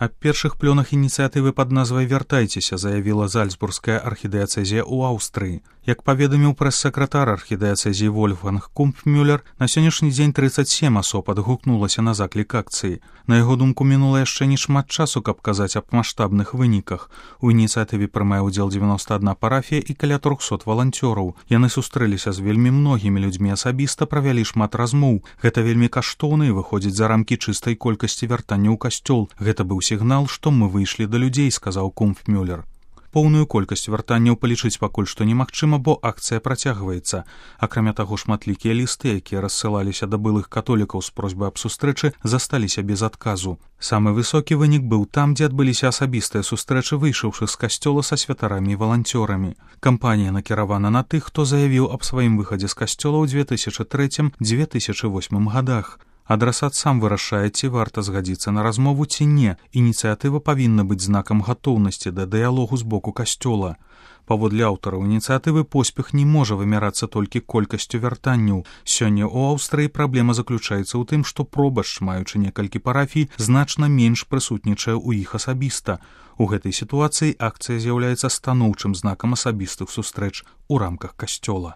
Аб першых плёнах ініцыятывы пад назвай «Вяртайцеся» заявіла Зальцбургская архідыяцэзія ў Аўстрыі. Як паведаміў прэс-сакратар архідыяцэзіі Вольфганг Кумпфмюллер, на сённяшні дзень 37 асоб адгукнулася на заклік акцыі. На яго думку, мінула яшчэ не шмат часу, каб казаць аб маштабных выніках. У ініцыятыве прымае ўдзел 91 парафія і каля 300 валанцёраў. Яны сустрэліся з вельмі многімі людзьмі асабіста, правялі шмат размоў. Гэта вельмі каштоўна і выходзіць за рамкі чыстай колькасці вяртання ў касцёл. Гэта быў сігнал, што мы выйшлі да людзей, сказаў Кумпфмюллер. Поўную колькасць вяртанняў палічыць пакуль што немагчыма, бо акцыя працягваецца. Акрамя таго, шматлікія лісты, якія рассылаліся да былых католікаў з просьбай аб сустрэчы, засталіся без адказу. Самы высокі вынік быў там, дзе адбыліся асабістыя сустрэчы выйшаўшых з касцёла са святарамі і валанцёрамі. Кампанія накіравана на тых, хто заявіў аб сваім выхадзе з касцёла ў 2003-2008 гадах. Адрасат сам вырашае, ці варта згадзіцца на размову, ці не. Ініцыятыва павінна быць знакам гатоўнасці да дыялогу з боку касцёла. Паводле аўтараў ініцыятывы, поспех не можа вымярацца толькі колькасцю вяртанняў. Сёння ў Аўстрыі праблема заключаецца ў тым, што пробашч, маючы некалькі парафій, значна менш прысутнічае ў іх асабіста. У гэтай сітуацыі акцыя з'яўляецца станоўчым знакам асабістых сустрэч у рамках касцёла.